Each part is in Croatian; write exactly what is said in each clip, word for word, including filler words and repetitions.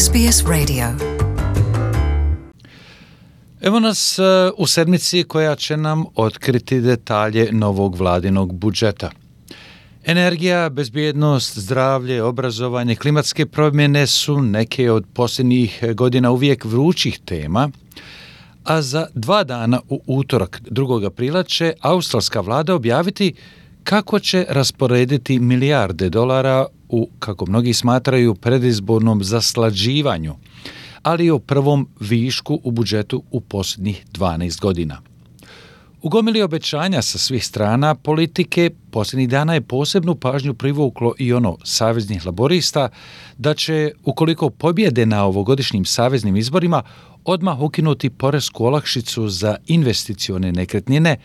S B S Radio. Evo nas u sedmici koja će nam otkriti detalje novog vladinog budžeta. Energija, bezbjednost, zdravlje, obrazovanje, klimatske promjene su neke od posljednjih godina uvijek vrućih tema, a za dva dana u utorak drugog aprila će australska vlada objaviti kako će rasporediti milijarde dolara u, kako mnogi smatraju, predizbornom zaslađivanju, ali i o prvom višku u budžetu u posljednjih dvanaest godina. U gomili obećanja sa svih strana politike posljednjih dana je posebnu pažnju privuklo i ono saveznih laborista da će, ukoliko pobjede na ovogodišnjim saveznim izborima, odmah ukinuti poresku olakšicu za investicione nekretnine,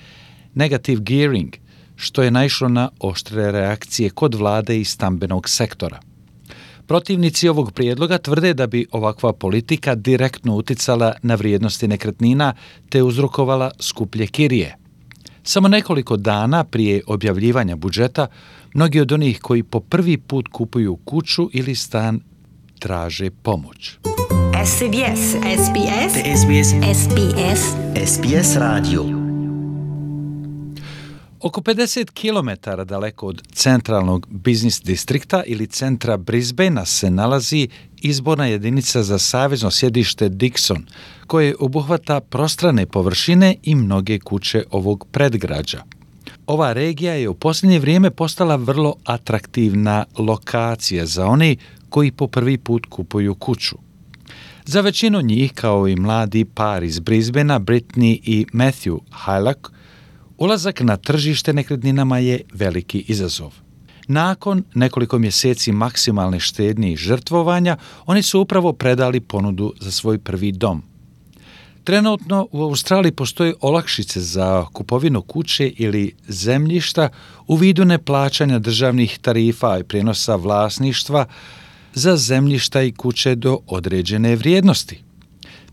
negative gearing, što je naišlo na oštre reakcije kod vlade i stambenog sektora. Protivnici ovog prijedloga tvrde da bi ovakva politika direktno uticala na vrijednosti nekretnina te uzrokovala skuplje kirije. Samo nekoliko dana prije objavljivanja budžeta, mnogi od onih koji po prvi put kupuju kuću ili stan traže pomoć. S B S, S B S, S B S, S B S, S B S Radio. Oko pedeset kilometara daleko od centralnog biznis distrikta ili centra Brisbanea se nalazi izborna jedinica za savezno sjedište Dixon, koje obuhvata prostrane površine i mnoge kuće ovog predgrađa. Ova regija je u posljednje vrijeme postala vrlo atraktivna lokacija za one koji po prvi put kupuju kuću. Za većinu njih, kao i mladi par iz Brisbanea, Brittany i Matthew Hylock, ulazak na tržište nekretninama je veliki izazov. Nakon nekoliko mjeseci maksimalne štednje i žrtvovanja, oni su upravo predali ponudu za svoj prvi dom. Trenutno u Australiji postoje olakšice za kupovinu kuće ili zemljišta u vidu neplaćanja državnih tarifa i prijenosa vlasništva za zemljišta i kuće do određene vrijednosti.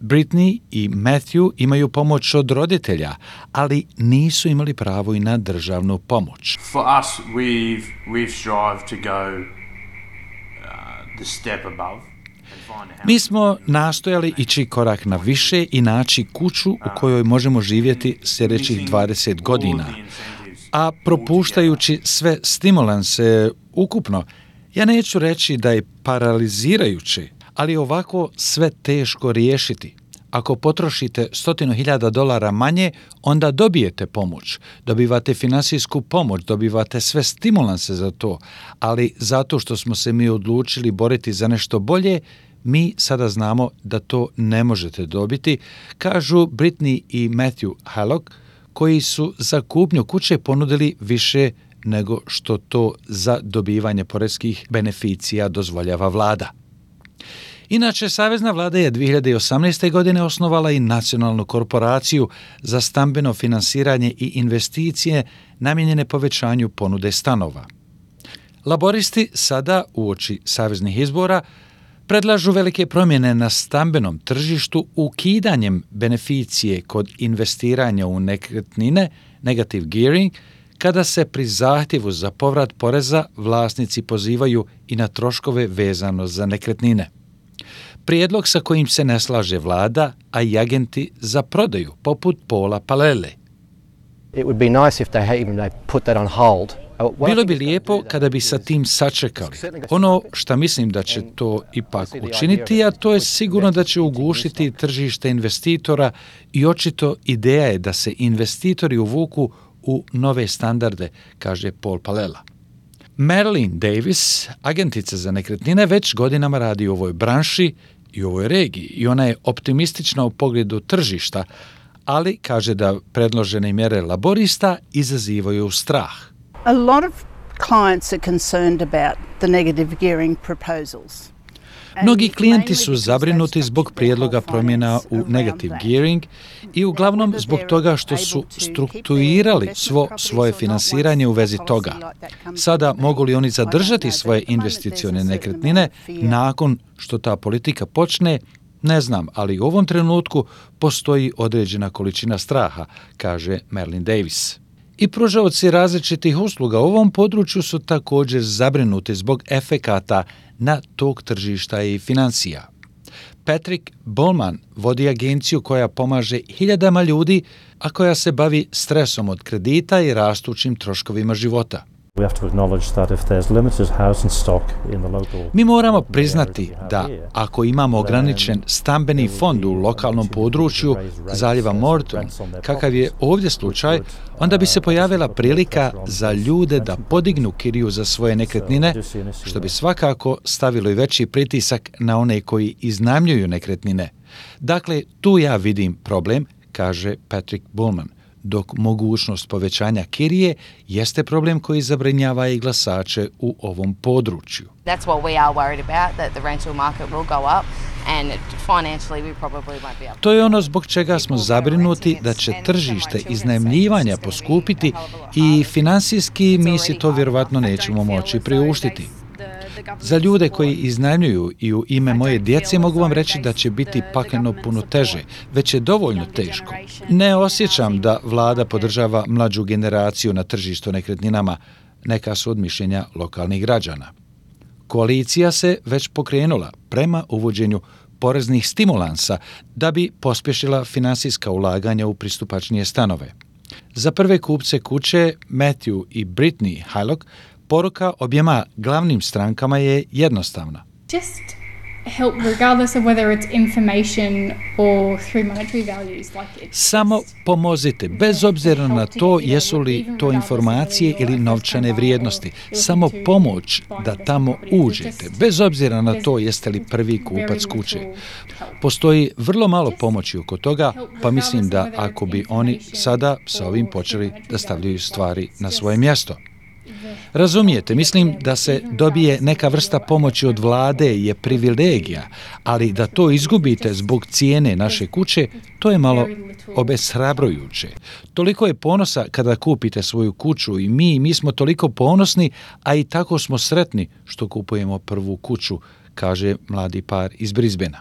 Brittany i Matthew imaju pomoć od roditelja, ali nisu imali pravo i na državnu pomoć. For us, we've we've strived to go uh, the step above. Mi smo nastojali ići korak na više i naći kuću u kojoj možemo živjeti sljedećih dvadeset godina, a propuštajući sve stimulanse ukupno, ja neću reći da je paralizirajuće, ali ovako sve teško riješiti. Ako potrošite stotinu hiljada dolara manje, onda dobijete pomoć, dobivate finansijsku pomoć, dobivate sve stimulanse za to, ali zato što smo se mi odlučili boriti za nešto bolje, mi sada znamo da to ne možete dobiti, kažu Brittany i Matthew Hylock, koji su za kupnju kuće ponudili više nego što to za dobivanje poreskih beneficija dozvoljava vlada. Inače, savezna vlada je dvije hiljade osamnaeste. godine osnovala i nacionalnu korporaciju za stambeno finansiranje i investicije namijenjene povećanju ponude stanova. Laboristi sada, uoči saveznih izbora, predlažu velike promjene na stambenom tržištu ukidanjem beneficije kod investiranja u nekretnine, negative gearing, kada se pri zahtjevu za povrat poreza vlasnici pozivaju i na troškove vezano za nekretnine. Prijedlog sa kojim se ne slaže vlada, a i agenti za prodaju, poput Paula Palele. It would be nice if they had even they put that on hold. Bilo bi lijepo kada bi sa tim sačekali. Ono što mislim da će to ipak učiniti, a to je sigurno da će ugušiti tržište investitora i očito ideja je da se investitori uvuku u nove standarde, kaže Paul Palela. Marilyn Davis, agentica za nekretnine, već godinama radi u ovoj branši i u ovoj regiji i ona je optimistična u pogledu tržišta, ali kaže da predložene mjere laborista izazivaju strah. A lot of clients are concerned about the negative gearing proposals. Mnogi klijenti su zabrinuti zbog prijedloga promjena u negative gearing i uglavnom zbog toga što su strukturirali svo svoje finansiranje u vezi toga. Sada mogu li oni zadržati svoje investicione nekretnine nakon što ta politika počne? Ne znam, ali u ovom trenutku postoji određena količina straha, kaže Marilyn Davis. I pružaoci različitih usluga u ovom području su također zabrinuti zbog efekata na tog tržišta i financija. Patrick Bowman vodi agenciju koja pomaže hiljadama ljudi, a koja se bavi stresom od kredita i rastućim troškovima života. Mi moramo priznati da ako imamo ograničen stambeni fond u lokalnom području zaljeva Morton, kakav je ovdje slučaj, onda bi se pojavila prilika za ljude da podignu kiriju za svoje nekretnine, što bi svakako stavilo i veći pritisak na one koji iznajmljuju nekretnine. Dakle, tu ja vidim problem, kaže Patrick Bowman, dok mogućnost povećanja kirije jeste problem koji zabrinjava i glasače u ovom području. That's what we are worried about, that the rental market will go up and financially we probably won't be able. To je ono zbog čega smo zabrinuti da će tržište iznajmljivanja poskupiti i finansijski mi si to vjerovatno nećemo moći priuštiti. Za ljude koji iznajmljuju i u ime moje djece mogu vam reći da će biti pakleno puno teže, već je dovoljno teško. Ne osjećam da vlada podržava mlađu generaciju na tržištu nekretninama, neka su od mišljenja lokalnih građana. Koalicija se već pokrenula prema uvođenju poreznih stimulansa da bi pospješila finansijska ulaganja u pristupačnije stanove. Za prve kupce kuće, Matthew i Brittany Hylock, poruka objema glavnim strankama je jednostavna. Just help regardless of whether it's information or through monetary values. Like it's Samo pomozite, bez obzira na to jesu li to informacije ili novčane vrijednosti. Samo pomoć da tamo uđete, bez obzira na to jeste li prvi kupac kuće. Postoji vrlo malo pomoći oko toga, pa mislim da ako bi oni sada sa ovim počeli da stavljaju stvari na svoje mjesto. Razumijete, mislim da se dobije neka vrsta pomoći od vlade je privilegija, ali da to izgubite zbog cijene naše kuće, to je malo obeshrabrujuće. Toliko je ponosa kada kupite svoju kuću i mi, mi smo toliko ponosni, a i tako smo sretni što kupujemo prvu kuću, kaže mladi par iz Brisbanea.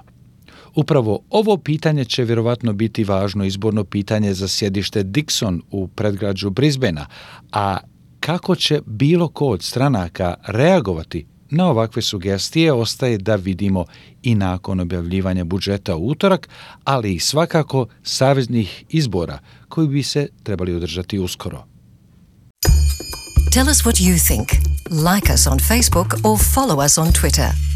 Upravo ovo pitanje će vjerovatno biti važno izborno pitanje za sjedište Dixon u predgrađu Brisbanea, a kako će bilo ko od stranaka reagovati na ovakve sugestije ostaje da vidimo i nakon objavljivanja budžeta u utorak, ali i svakako saveznih izbora koji bi se trebali održati uskoro. Tell us what you think. Like us on Facebook or follow us on Twitter.